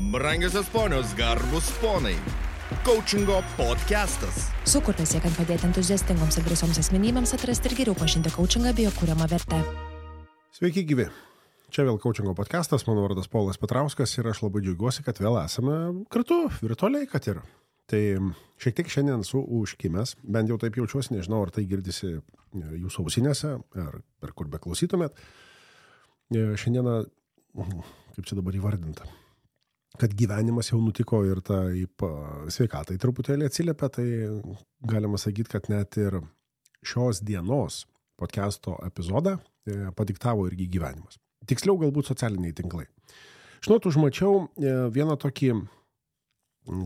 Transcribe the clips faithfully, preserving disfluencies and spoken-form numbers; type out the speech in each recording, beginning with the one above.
Brangiosios ponios, garbus ponai. Coachingo podcastas. Sukurtas siekiant padėti entuziastingoms ir drąsioms asmenybėms atrasti ir geriau pažinti coachingą bei jo kuriamą vertę. Sveiki gyvi. Čia vėl Coachingo podcastas, mano vardas Paulas Petrauskas ir aš labai džiaugiuosi, kad vėl esame kartu, virtualiai kad ir. Tai šiek tiek šiandien su užkimęs, bent jau taip jaučiuosi, nežinau, ar tai girdisi jūsų ausinėse, ar per kur beklausytumėt. Šiandieną, kaip čia dabar įvardinta, kad gyvenimas jau nutiko ir taip sveikatai truputėlį atsiliepia, tai galima sakyti, kad net ir šios dienos podcasto epizodą padiktavo irgi gyvenimas. Tiksliau galbūt socialiniai tinklai. Žinot, užmačiau vieną tokį,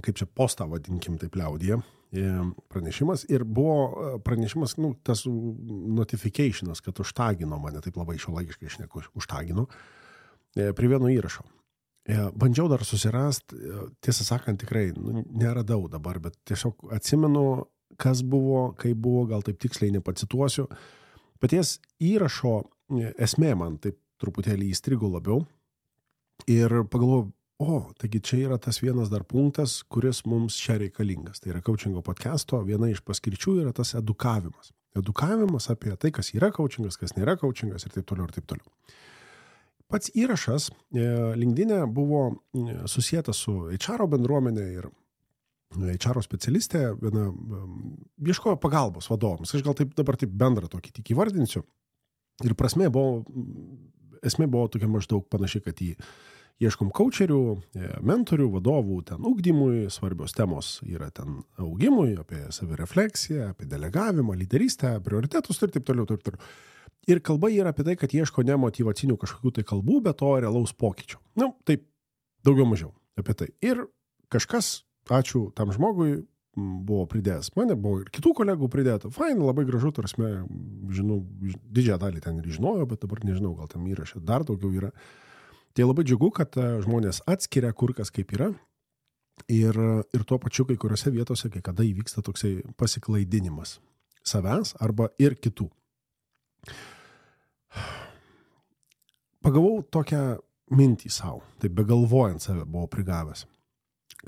kaip čia postą vadinkim taip liaudyje, pranešimas ir buvo pranešimas, nu, tas notificationas, kad užtagino mane, taip labai šiuolaikiškai šneku, užtagino prie vieno įrašo. Bandžiau dar susirast, tiesą sakant, tikrai nu, neradau dabar, bet tiesiog atsimenu, kas buvo, kaip buvo, gal taip tiksliai nepacituosiu. Paties įrašo esmė man taip truputėlį įstrigo labiau ir pagalvojau, o, taigi čia yra tas vienas dar punktas, kuris mums čia reikalingas. Tai yra coachingo podcasto, viena iš paskirčių yra tas edukavimas. Edukavimas apie tai, kas yra coachingas, kas nėra coachingas ir taip toliau ir taip toliau. Pats įrašas LinkedIn'e buvo susietas su H R bendruomenė ir H R specialistė viena ieškojo pagalbos vadovams. Aš gal taip dabar taip bendrą tokį tik įvardinsiu. Ir prasmė buvo, esmė buvo tokia maždaug panašiai, kad jį ieškom coacherių, mentorių, vadovų ten ugdymui, svarbios temos yra ten augimui, apie savirefleksiją, apie delegavimą, lyderystę, prioritetus ir taip toliau, taip toliau. Ir kalba yra apie tai, kad ieško ne motyvacinių kažkokių tai kalbų, bet to realaus pokyčio. Nu, taip, daugiau mažiau apie tai. Ir kažkas, ačiū tam žmogui, buvo pridėjęs. Mane buvo ir kitų kolegų pridėta. Fain, labai gražu, tarsi, žinau, didžiąją dalį ten ir žinojau, bet dabar nežinau, gal tam įrašė dar daugiau yra. Tai labai džiugu, kad žmonės atskiria kur kas kaip yra. Ir, ir tuo pačiu kai kuriuose vietose, kai kada įvyksta toksai pasiklaidinimas savęs arba ir kitų. Pagavau tokią mintį savo, taip begalvojant save buvau prigavęs,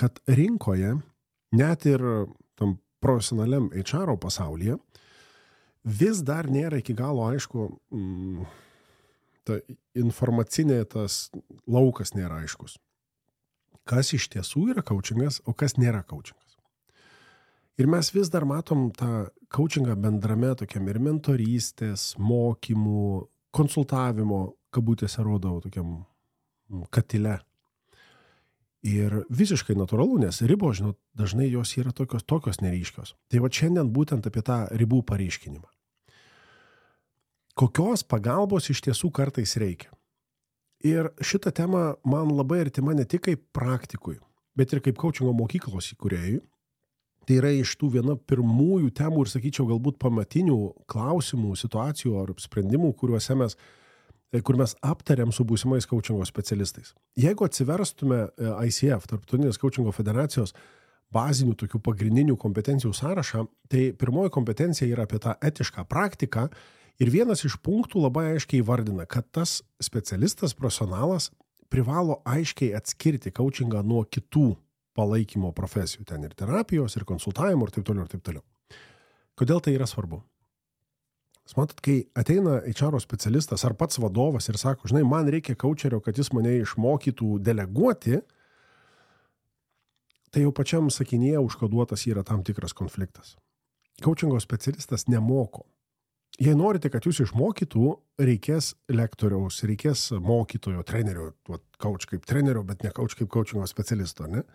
kad rinkoje, net ir tam profesionaliam H R pasaulyje, vis dar nėra iki galo aišku, mm, ta informacinė tas laukas nėra aiškus. Kas iš tiesų yra coachingas, o kas nėra coachingas. Ir mes vis dar matom tą coachingą bendrame tokiam ir mentorystės, mokymų, konsultavimo, kabutėse rodau tokiam katile. Ir visiškai natūralu, nes ribos, žinot, dažnai jos yra tokios, tokios neryškios. Tai va šiandien būtent apie tą ribų pareiškinimą. Kokios pagalbos iš tiesų kartais reikia? Ir šitą temą man labai artima ne tik kaip praktikui, bet ir kaip coachingo mokyklos įkūrėjui. Tai yra iš tų viena pirmųjų temų ir, sakyčiau, galbūt pamatinių klausimų, situacijų ar sprendimų, kuriuose mes, kur mes aptariam su būsimais coachingo specialistais. Jeigu atsiverstume I C F, Tarptautinės coachingo federacijos, bazinių tokių pagrindinių kompetencijų sąrašą, tai pirmoji kompetencija yra apie tą etišką praktiką ir vienas iš punktų labai aiškiai įvardina, kad tas specialistas, profesionalas privalo aiškiai atskirti coachingą nuo kitų palaikymo profesijų, ten ir terapijos, ir konsultavimo, ir taip toliau, ir taip toliau. Kodėl tai yra svarbu? Jūs matot, kai ateina H R specialistas ar pats vadovas ir sako, žinai, man reikia coacherio, kad jis mane išmokytų deleguoti, tai jau pačiam sakinyje užkoduotas yra tam tikras konfliktas. Coachingo specialistas nemoko. Jei norite, kad jūs išmokytų, reikės lektoriaus, reikės mokytojo, trenerio, coach kaip trenerio, bet ne coach kaip coachingo specialisto, ne?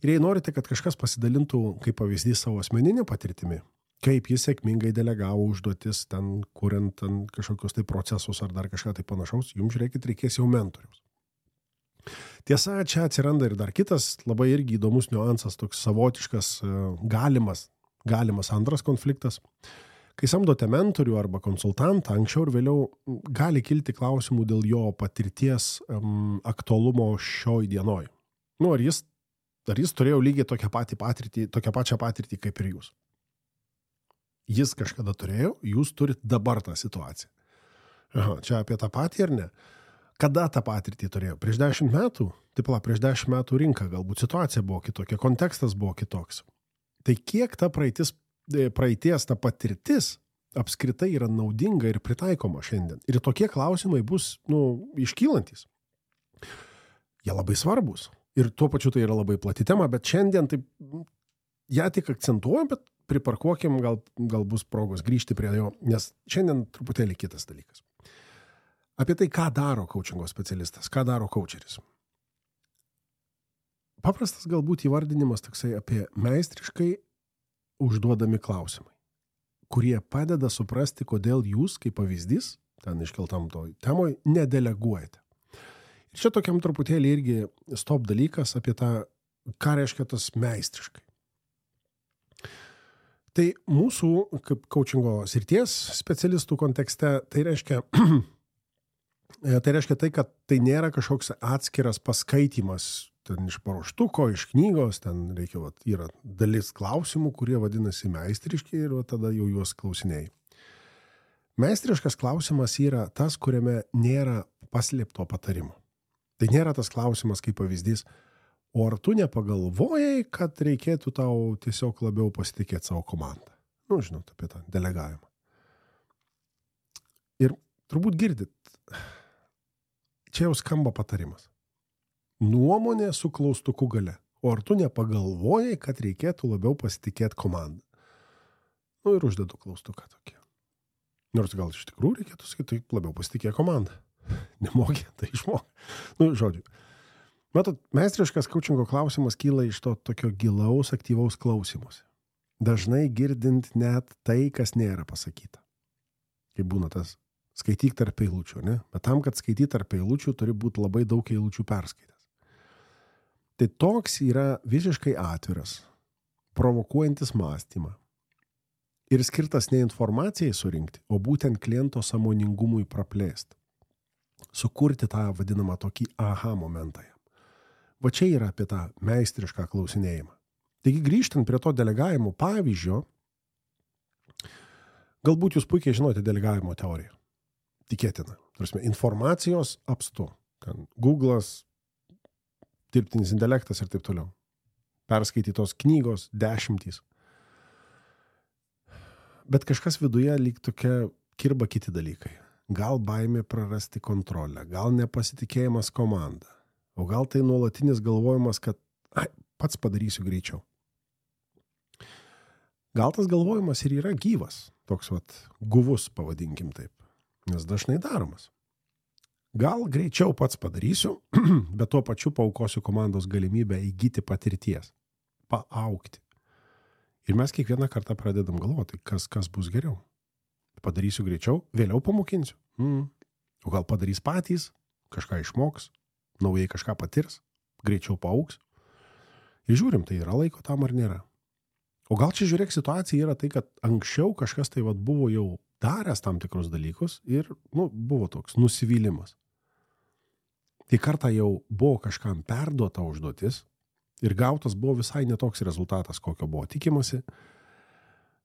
Ir jei norite, kad kažkas pasidalintų kaip pavyzdys savo asmeninę patirtimį, kaip jis sėkmingai delegavo užduotis ten, kuriant ten kažkokius tai procesus ar dar kažką tai panašaus, jums žiūrėkit, reikės jau mentoriaus. Tiesa, čia atsiranda ir dar kitas labai irgi įdomus niuansas, toks savotiškas galimas, galimas antras konfliktas. Kai samdote mentorių arba konsultantą, anksčiau ir vėliau gali kilti klausimų dėl jo patirties um, aktualumo šioj dienoj. Nu, ar jis, ar jis turėjo lygiai tokią, patį patirtį, tokią pačią patirtį kaip ir jūs? Jis kažkada turėjo, jūs turit dabar tą situaciją. Aha, čia apie tą patį ar ne? Kada tą patirtį turėjo? Prieš dešimt metų? Taip, la, prieš dešimt metų rinka, galbūt situacija buvo kitokia, kontekstas buvo kitoks. Tai kiek ta praeitis, praeities, ta patirtis apskritai yra naudinga ir pritaikoma šiandien? Ir tokie klausimai bus, nu, iškylantis. Jie labai svarbus. Ir tuo pačiu tai yra labai plati tema, bet šiandien taip, ją tik akcentuojam, bet priparkuokim, gal, gal bus progos grįžti prie jo, nes šiandien truputėlį kitas dalykas. Apie tai, ką daro coachingo specialistas, ką daro coacheris. Paprastas galbūt įvardinimas toksai apie meistriškai užduodami klausimai, kurie padeda suprasti, kodėl jūs, kaip pavyzdys, ten iškeltam toj temoj, nedeleguojate. Ir čia tokiam truputėlį irgi stop dalykas apie tą, ką reiškia tas meistriškai. Tai mūsų, kaip coachingo srities specialistų kontekste, tai reiškia, tai reiškia tai, kad tai nėra kažkoks atskiras paskaitimas ten iš paruoštuko, iš knygos, ten reikia, vat, yra dalis klausimų, kurie vadinasi meistriški ir vat, tada jau juos klausinėjai. Meistriškas klausimas yra tas, kuriame nėra paslėpto patarimo. Tai nėra tas klausimas kaip pavyzdys, o ar tu nepagalvojai, kad reikėtų tau tiesiog labiau pasitikėti savo komandą? Nu, žinot, apie tą delegavimą. Ir turbūt girdit, čia jau skamba patarimas. Nuomonė su klaustuku gale. O ar tu nepagalvojai, kad reikėtų labiau pasitikėti komandą? Nu ir uždedu klaustuką tokį. Nors gal iš tikrųjų reikėtų sakyti, taip labiau pasitikė komandą. Nemokė, tai išmokė. Nu, žodžiu. Matot, meistriškas coachingo klausimas kyla iš to tokio gilaus, aktyvaus klausimuose. Dažnai girdint net tai, kas nėra pasakyta. Kaip būna tas skaityk tarp eilučių, ne? Bet tam, kad skaityt tarp eilučių, turi būti labai daug eilučių perskaitęs. Tai toks yra visiškai atviras, provokuojantis mąstymą ir skirtas ne informacijai surinkti, o būtent kliento sąmoningumui praplėsti. Sukurti tą vadinamą tokį aha momentą. Va čia yra apie tą meistrišką klausinėjimą. Taigi grįžtant prie to delegavimo pavyzdžio, galbūt jūs puikiai žinote delegavimo teoriją. Tikėtina. Tarsi, informacijos apstu. Ten Google'as, dirbtinis intelektas ir taip toliau. Perskaitytos knygos, dešimtys. Bet kažkas viduje lyg tokia kirba kiti dalykai. Gal baimė prarasti kontrolę, gal nepasitikėjimas komanda, o gal tai nuolatinis galvojimas, kad ai, pats padarysiu greičiau. Gal tas galvojimas ir yra gyvas, toks vat guvus, pavadinkim taip, nes dažnai daromas. Gal greičiau pats padarysiu, bet tuo pačiu paaukosiu komandos galimybę įgyti patirties, paaugti. Ir mes kiekvieną kartą pradedam galvoti, kas, kas bus geriau. Padarysiu greičiau, vėliau pamokinsiu. Mm. O gal padarys patys, kažką išmoks, naujai kažką patirs, greičiau paaugs. Ir žiūrim, tai yra laiko tam ar nėra. O gal čia žiūrėk situacija yra tai, kad anksčiau kažkas tai vat buvo jau daręs tam tikrus dalykus ir nu, buvo toks nusivylimas. Tai kartą jau buvo kažkam perduota užduotis ir gautas buvo visai netoks rezultatas, kokio buvo tikimasi.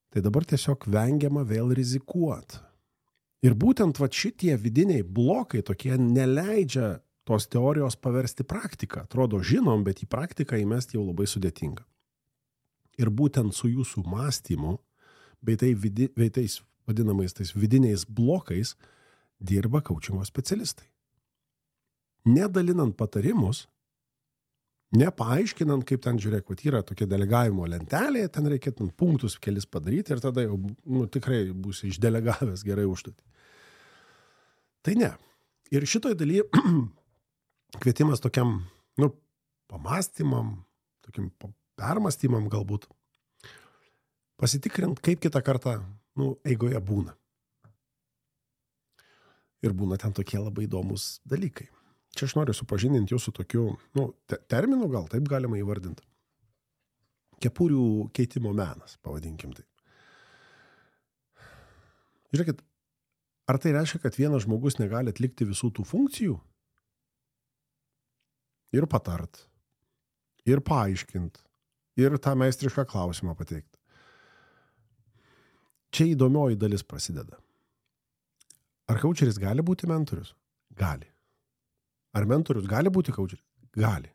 Tai dabar tiesiog vengiama vėl rizikuoti. Ir būtent va šitie vidiniai blokai tokie neleidžia tos teorijos paversti praktiką. Atrodo žinom, bet į praktiką įmesti jau labai sudėtinga. Ir būtent su jūsų mąstymu, bei, tai vidi, bei tais vadinamais tais vidiniais blokais dirba coachingo specialistai. Nedalinant patarimus, nepaaiškinant, kaip ten žiūrėk, kad yra tokia delegavimo lentelė, ten reikėtų punktus kelis padaryti ir tada jau nu, tikrai bus išdelegavęs gerai užduotį. Tai ne. Ir šitoj dalyje kvietimas tokiam nu, pamastymam, tokiam permastymam galbūt, pasitikrint, kaip kitą kartą nu, eigoje būna. Ir būna ten tokie labai įdomus dalykai. Čia aš noriu supažininti jūsų tokiu, nu, te, terminu gal taip galima įvardinti. Kepurių keitimo menas, pavadinkim taip. Žiūrėkit, ar tai reiškia, kad vienas žmogus negali atlikti visų tų funkcijų? Ir patart, ir paaiškint, ir tą meistrišką klausimą pateikti. Čia įdomioji dalis prasideda. Ar coacheris gali būti mentorius? Gali. Ar mentorius gali būti kaučeris? Gali.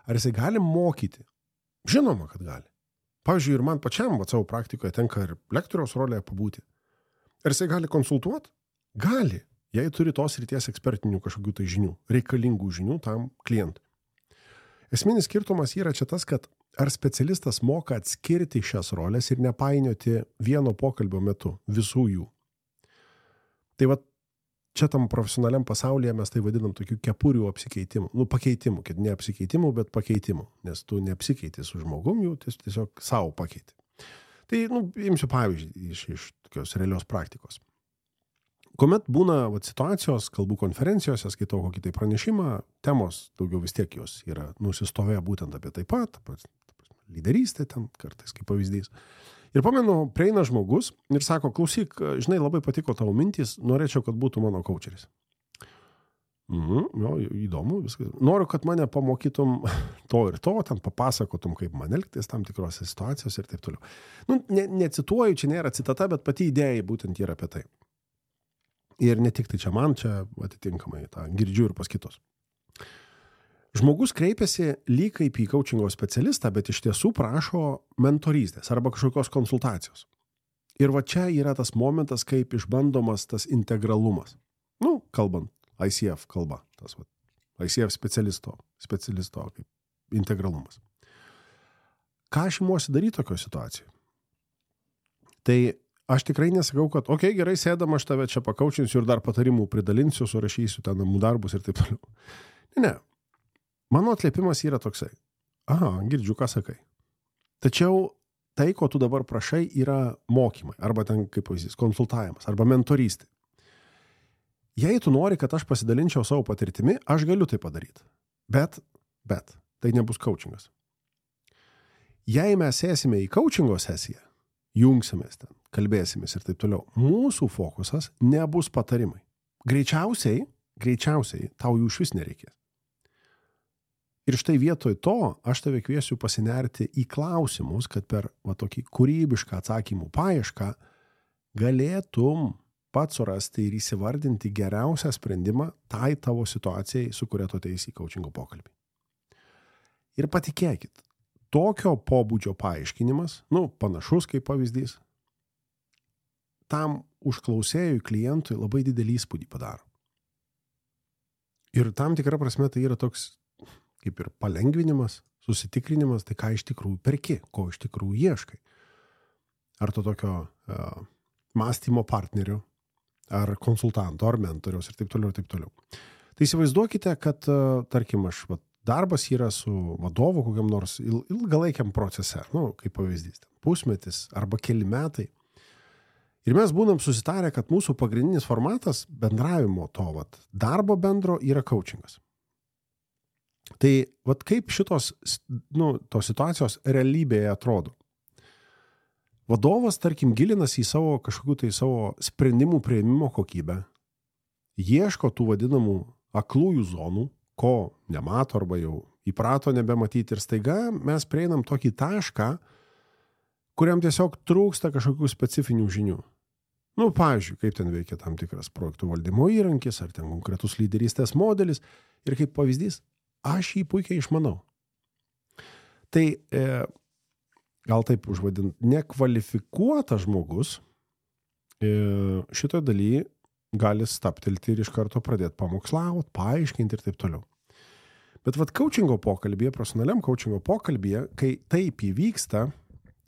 Ar jisai gali mokyti? Žinoma, kad gali. Pavyzdžiui, ir man pačiam vat, savo praktikoje tenka ir lektoriaus rolėje pabūti. Ar jisai gali konsultuoti? Gali. Jei turi tos ryties ekspertinių kažkokių tai žinių, reikalingų žinių tam klientui. Esminis skirtumas yra čia tas, kad ar specialistas moka atskirti šias rolės ir nepainioti vieno pokalbio metu visų jų. Tai va, čia tam profesionaliam pasaulyje mes tai vadinam tokių kepurių apsikeitimų. Nu, pakeitimų, kad ne apsikeitimų, bet pakeitimų. Nes tu neapsikeiti su žmogum, jų tiesiog savo pakeiti. Tai, nu, imsiu pavyzdį iš, iš tokios realios praktikos. Kuomet būna vat, situacijos, kalbų konferencijose, skaitau kokį tai pranešimą, temos daugiau vis tiek jos yra nusistovėję būtent apie taip pat, lyderystė ten kartais kaip pavyzdys. Ir pamenu, prieina žmogus ir sako, klausyk, žinai, labai patiko tavo mintys, norėčiau, kad būtų mano kaučeris. Mhm, jo, įdomu, viskas. Noriu, kad mane pamokytum to ir to, ten papasakotum, kaip man elgtis tam tikrose situacijose ir taip toliau. Nu, ne, necituoju, čia nėra citata, bet pati idėja būtent yra apie tai. Ir ne tik tai čia man, čia atitinkamai tą girdžiu ir pas kitus. Žmogus kreipiasi lyg kaip į kaučingo specialistą, bet iš tiesų prašo mentorystės arba kažkokios konsultacijos. Ir va čia yra tas momentas, kaip išbandomas tas integralumas. Nu, kalbant, I C F kalba, tas va, I C F specialisto, specialisto kaip integralumas. Ką aš imuosi daryti tokio situacijoje? Tai aš tikrai nesakau, kad, okei, okay, gerai, sėdam, aš tave čia pakaučinsiu ir dar patarimų pridalinsiu, surašysiu ten namų darbus ir taip toliau. Ne, ne. Mano atliepimas yra toksai. Aha, girdžiu, ką sakai. Tačiau tai, ko tu dabar prašai, yra mokymai, arba ten, kaip pavyzdys, konsultavimas, arba mentorystė. Jei tu nori, kad aš pasidalinčiau savo patirtimi, aš galiu tai padaryti. Bet, bet, tai nebus kaučingas. Jei mes sėsime į kaučingo sesiją, jungsimės ten, kalbėsimės ir taip toliau, mūsų fokusas nebus patarimai. Greičiausiai, greičiausiai tau jų švis nereikės. Ir štai vietoj to aš tave kviesiu pasinerti į klausimus, kad per va, tokį kūrybišką atsakymų paiešką galėtum pats surasti ir įsivardinti geriausią sprendimą tai tavo situacijai, su kuria tu ateisi į kaučingo pokalbį. Ir patikėkit, tokio pobūdžio paaiškinimas, nu, panašus kaip pavyzdys, tam užklausėjui klientui labai didelį įspūdį padaro. Ir tam tikra prasme tai yra toks kaip ir palengvinimas, susitikrinimas, tai ką iš tikrųjų perki, ko iš tikrųjų ieškai. Ar to tokio uh, mąstymo partnerio, ar konsultanto, ar mentoriaus ir taip toliau, ir taip toliau. Tai įsivaizduokite, kad, uh, tarkim, aš va, darbas yra su vadovu kokiam nors il, ilgalaikiam procese, nu, kaip pavyzdys, pusmetis arba keli metai. Ir mes būnam susitarę, kad mūsų pagrindinis formatas bendravimo to vat, darbo bendro yra kaučingas. Tai vat kaip šitos nu, tos situacijos realybėje atrodo. Vadovas, tarkim, gilinasi į savo kažkokių tai savo sprendimų priėmimo kokybę, ieško tų vadinamų aklųjų zonų, ko nemato arba jau įprato nebematyti ir staiga mes prieinam tokį tašką, kuriam tiesiog trūksta kažkokių specifinių žinių. Nu, pavyzdžiui, kaip ten veikia tam tikras projektų valdymo įrankis, ar ten konkretus lyderystės modelis ir kaip pavyzdys, aš jį puikiai išmanau. Tai e, gal taip užvadint, nekvalifikuotas žmogus e, šitoje dalyje gali staptelti ir iš karto pradėti pamokslauti, paaiškinti ir taip toliau. Bet vat kaučingo pokalbėje, profesionaliam kaučingo pokalbėje, kai taip įvyksta,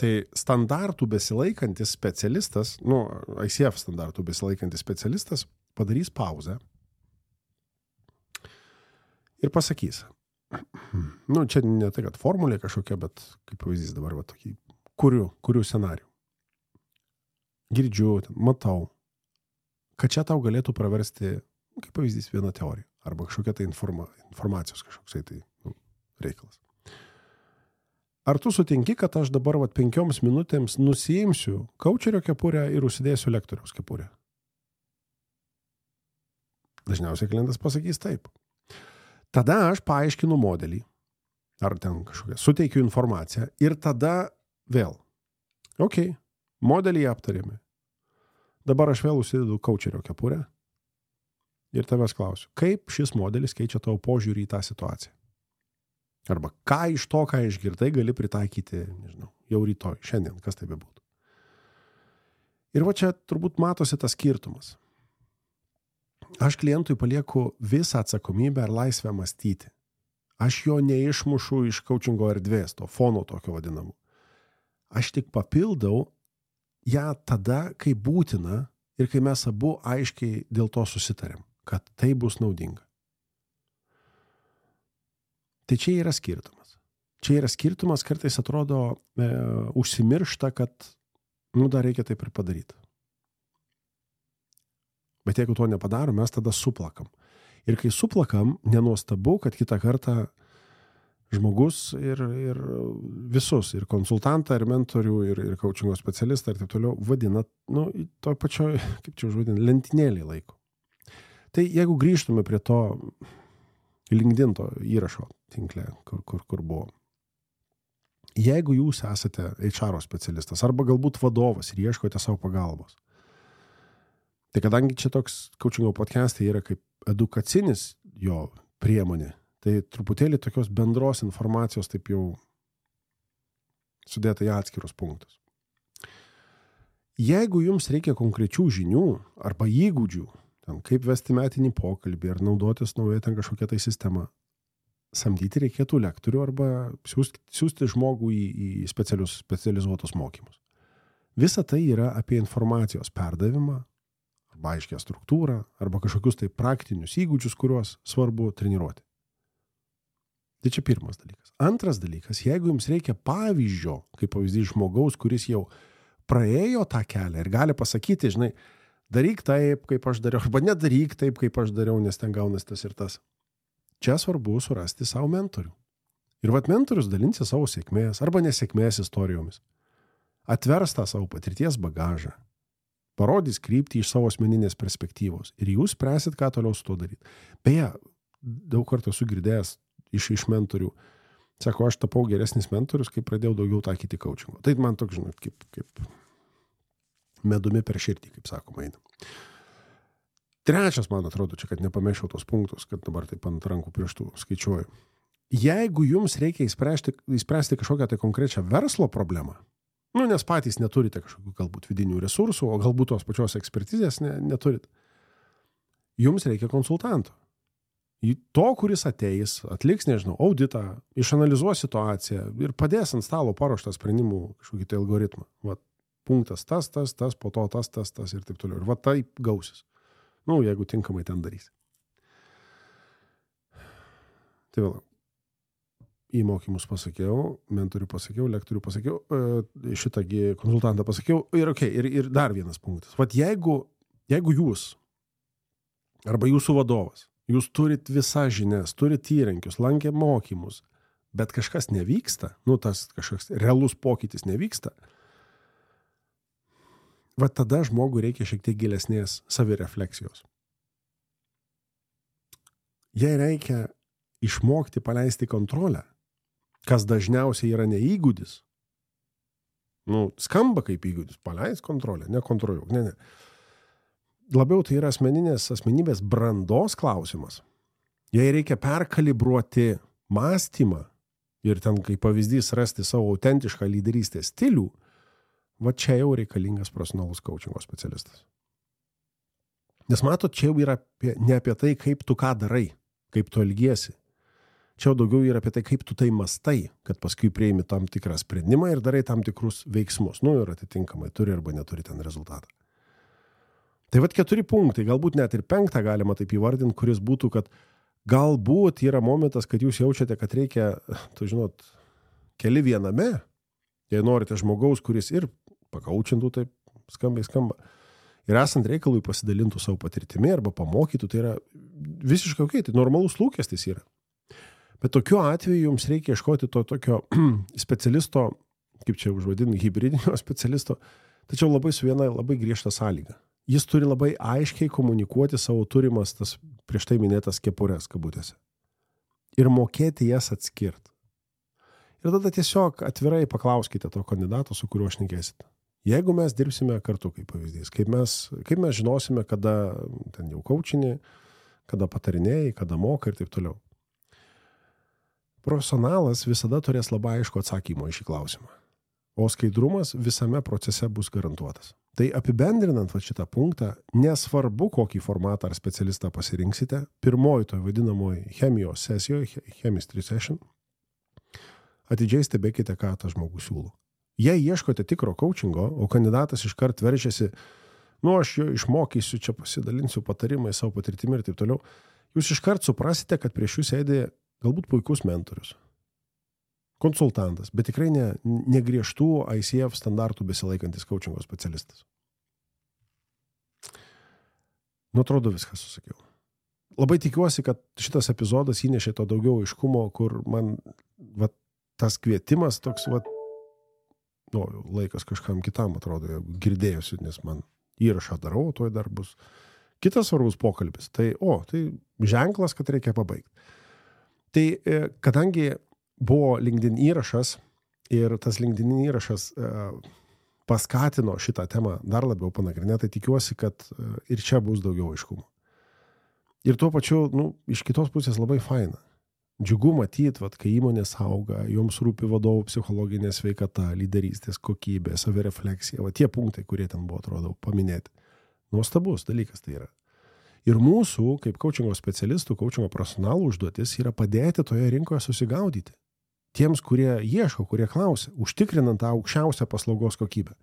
tai standartų besilaikantis specialistas, nu, I C F standartų besilaikantis specialistas padarys pauzę ir pasakys. Nu, čia ne tai, kad formulė kažkokia, bet kaip pavyzdys dabar, va, tokį, kuriu, kuriu scenarių. Girdžiu, matau, kad čia tau galėtų praversti, kaip pavyzdys, vieną teoriją, arba kažkokia tai informa, informacijos kažkoksai tai nu, reikalas. Ar tu sutinki, kad aš dabar vat, penkioms minutėms nusiimsiu kaučerio kepurę ir užsidėsiu lektoriaus kepurę? Dažniausiai klientas pasakys taip. Tada aš paaiškinu modelį, ar ten kažkokią, suteikiu informaciją ir tada vėl. Ok, modelį aptarėme. Dabar aš vėl užsidedu kaučerio kepurę ir tavęs klausiu, kaip šis modelis keičia tavo požiūrį į tą situaciją? Arba ką iš to, ką išgirdai, gali pritaikyti, nežinau, jau rytoj, šiandien, kas tai bebūtų. Ir va čia turbūt matosi tas skirtumas. Aš klientui palieku visą atsakomybę ir laisvę mąstyti. Aš jo neišmušu iš coachingo erdvės, to fono tokio vadinamų. Aš tik papildau ją tada, kai būtina ir kai mes abu aiškiai dėl to susitarėm, kad tai bus naudinga. Tai čia yra skirtumas. Čia yra skirtumas, kartais atrodo e, užsimiršta, kad nu, dar reikia taip ir padaryti. Bet jeigu to nepadaro, mes tada suplakam. Ir kai suplakam, nenuostabu, kad kitą kartą žmogus ir, ir visus, ir konsultantą, ir mentorių, ir, ir coachingo specialistą, ir taip toliau, vadina, nu, toj pačioj, kaip čia užvadina, lentynėlį laiko. Tai jeigu grįžtume prie to LinkedIn to įrašo tinkle, kur, kur, kur buvo. Jeigu jūs esate H R specialistas, arba galbūt vadovas ir ieškote savo pagalbos, tai kadangi čia toks coachingo podcastai yra kaip edukacinis jo priemonė, tai truputėlį tokios bendros informacijos taip jau sudėta į atskirus punktus. Jeigu jums reikia konkrečių žinių arba įgūdžių, ten, kaip vesti metinį pokalbį ar naudotis nauja ten kažkokia tai sistema, samdyti reikėtų lektorių arba siūsti, siūsti žmogų į, į specialius, specializuotus mokymus. Visa tai yra apie informacijos perdavimą, arba aiškę struktūrą, arba kažkokius tai praktinius įgūdžius, kuriuos svarbu treniruoti. Tai čia pirmas dalykas. Antras dalykas, jeigu jums reikia pavyzdžio, kaip pavyzdys žmogaus, kuris jau praėjo tą kelią ir gali pasakyti, žinai, daryk taip, kaip aš dariau, arba nedaryk taip, kaip aš dariau, nes ten gaunas tas ir tas. Čia svarbu surasti savo mentorių. Ir vat mentorius dalinsi savo sėkmės arba nesėkmės istorijomis. Atvers tą savo patirties bagažą. Parodys kryptį iš savo asmeninės perspektyvos. Ir jūs spręsit, ką toliau su to daryti. Beje, daug kartų esu girdėjęs iš, iš mentorių. Sako, aš tapau geresnis mentorius, kai pradėjau daugiau taikyti coachingo. Tai man toks, žinot, kaip, kaip medumi per širdį, kaip sakoma, eina. Trečias, man atrodo, čia, kad nepamešiau tos punktus, kad dabar taip ant rankų pirštų skaičiuoju. Jeigu jums reikia įspręsti, įspręsti kažkokią tai konkrečią verslo problemą, nu, nes patys neturite kažkokių galbūt vidinių resursų, o galbūt tos pačios ekspertizės ne, neturit, jums reikia konsultanto. To, kuris ateis, atliks, nežinau, auditą, išanalizuos situaciją ir padės ant stalo paruoštą sprendimų kažkokį tai algoritmą. Va, punktas tas, tas, tas, po to tas, tas, tas ir taip toliau. Ir va taip gausis. Nu, jeigu tinkamai ten darys. Tai vėl, į mokymus pasakiau, mentorių pasakiau, lektorių pasakiau, šitągi konsultantą pasakiau. Ir, okay, ir, ir dar vienas punktas. Va, jeigu, jeigu jūs arba jūsų vadovas, jūs turit visas žinias, turit įrankius, lankė mokymus, bet kažkas nevyksta, nu tas kažkoks realus pokytis nevyksta, va tada žmogui reikia šiek tiek gilesnės savirefleksijos. Jei reikia išmokti paleisti kontrolę, kas dažniausiai yra ne įgūdis, nu skamba kaip įgūdis, paleis kontrolę, nekontroliuok, ne, ne. Labiau tai yra asmeninės asmenybės brandos klausimas. Jei reikia perkalibruoti mąstymą ir ten, kaip pavyzdys, rasti savo autentišką lyderystės stilių, va čia jau reikalingas profesionalus coachingo specialistas. Nes matot, čia jau yra apie, ne apie tai, kaip tu ką darai, kaip tu elgiesi. Čia jau daugiau yra apie tai, kaip tu tai mastai, kad paskui prieimi tam tikrą sprendimą ir darai tam tikrus veiksmus. Nu ir atitinkamai turi arba neturi ten rezultatą. Tai vat keturi punktai, galbūt net ir penktą galima taip įvardinti, kuris būtų, kad galbūt yra momentas, kad jūs jaučiate, kad reikia, tu žinot, keli viename, jei norite žmogaus, kuris ir pakaučintų, taip skambai skamba, ir esant reikalui pasidalintų savo patirtimi arba pamokytų, tai yra visiškai ok, tai normalus lūkestis yra. Bet tokiu atveju jums reikia ieškoti to tokio specialisto, kaip čia užvadinti, hibridinio specialisto, tačiau labai su viena labai griežta sąlyga. Jis turi labai aiškiai komunikuoti savo turimas tas prieš tai minėtas kepures kabutėse. Ir mokėti jas atskirti. Ir tada tiesiog atvirai paklauskite to kandidato, su kuriuo šnekėsite. Jeigu mes dirbsime kartu, kaip pavyzdys, kaip mes, kaip mes žinosime, kada ten jau coachinį, kada patarinėjai, kada moka ir taip toliau. Profesionalas visada turės labai aišku atsakymą į šį klausimą. O skaidrumas visame procese bus garantuotas. Tai apibendrinant va šitą punktą, nesvarbu, kokį formatą ar specialistą pasirinksite, pirmoji to vadinamoji chemijos sesijoje, chemistry session, atidžiai stebėkite, ką tas žmogus siūlo. Jei ieškote tikro coachingo, o kandidatas iškart veržiasi, nu aš jo išmokysiu, čia pasidalinsiu patarimai savo patirtimi ir taip toliau, jūs iškart suprasite, kad prieš jūs sėdi galbūt puikus mentorius, konsultantas, bet tikrai ne, ne griežtų I C F standartų besilaikantis coachingo specialistas. Nu, atrodo, viską susakiau. Labai tikiuosi, kad šitas epizodas įnešė to daugiau aiškumo, kur man va, tas kvietimas toks, va, nu, laikas kažkam kitam atrodo, girdėjusi, nes man įrašą darau, toj dar bus kitas svarbus pokalbis. Tai, o, tai ženklas, kad reikia pabaigti. Tai, kadangi buvo LinkedIn įrašas ir tas LinkedIn įrašas e, paskatino šitą temą dar labiau panagrinėti, tai tikiuosi, kad e, ir čia bus daugiau aiškumo. Ir tuo pačiu, nu, iš kitos pusės labai faina. Džiugu matyti, vat, kai įmonės auga, joms rūpi vadovų psichologinė sveikata, lyderystės kokybė, savirefleksija, va tie punktai, kurie ten buvo, atrodo, paminėti. Nuostabus dalykas tai yra. Ir mūsų, kaip coachingo specialistų, coachingo profesionalų užduotis yra padėti toje rinkoje susigaudyti. Tiems, kurie ieško, kurie klausia, užtikrinant tą aukščiausią paslaugos kokybę.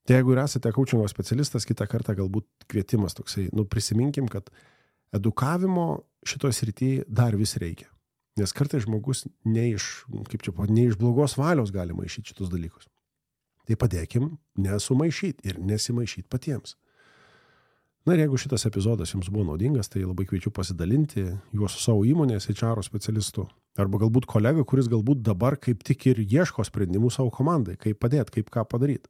Tai jeigu ir esate coachingo specialistas, kitą kartą galbūt kvietimas toksai, nu prisiminkim, kad edukavimo šitoje srityje dar vis reikia. Nes kartais žmogus ne iš, kaip čia, ne iš blogos valios gali maišyti šitus dalykus. Tai padėkim nesumaišyti ir nesimaišyti patiems. Na ir jeigu šitas epizodas jums buvo naudingas, tai labai kviečiu pasidalinti juos su savo įmonės H R specialistu. Arba galbūt kolega, kuris galbūt dabar kaip tik ir ieško sprendimų savo komandai, kaip padėti, kaip ką padaryti.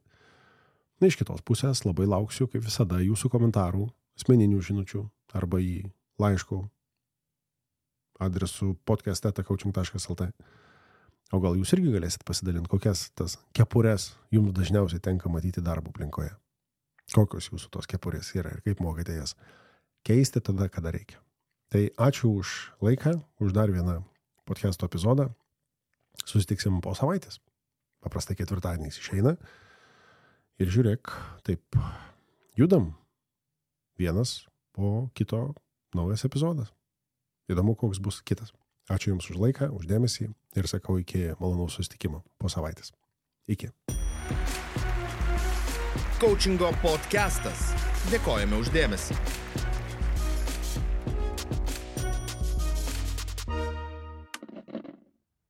Na iš kitos pusės labai lauksiu, kaip visada, jūsų komentarų, asmeninių žinučių arba į laiškų adresu podcast eta coaching taškas el t. O gal jūs irgi galėsit pasidalinti, kokias tas kepures jums dažniausiai tenka matyti darbo aplinkoje. Kokios jūsų tos kepurės yra ir kaip mokate jas keisti tada, kada reikia. Tai ačiū už laiką, už dar vieną podcast'o epizodą. Susitiksim po savaitės. Paprastai ketvirtadieniais išeina. Ir žiūrėk, taip, judam. Vienas po kito naujas epizodas. Įdomu, koks bus kitas. Ačiū Jums už laiką, už dėmesį ir sakau iki malonaus susitikimo po savaitės. Iki. Coachingo podcastas. Dėkojame už dėmesį.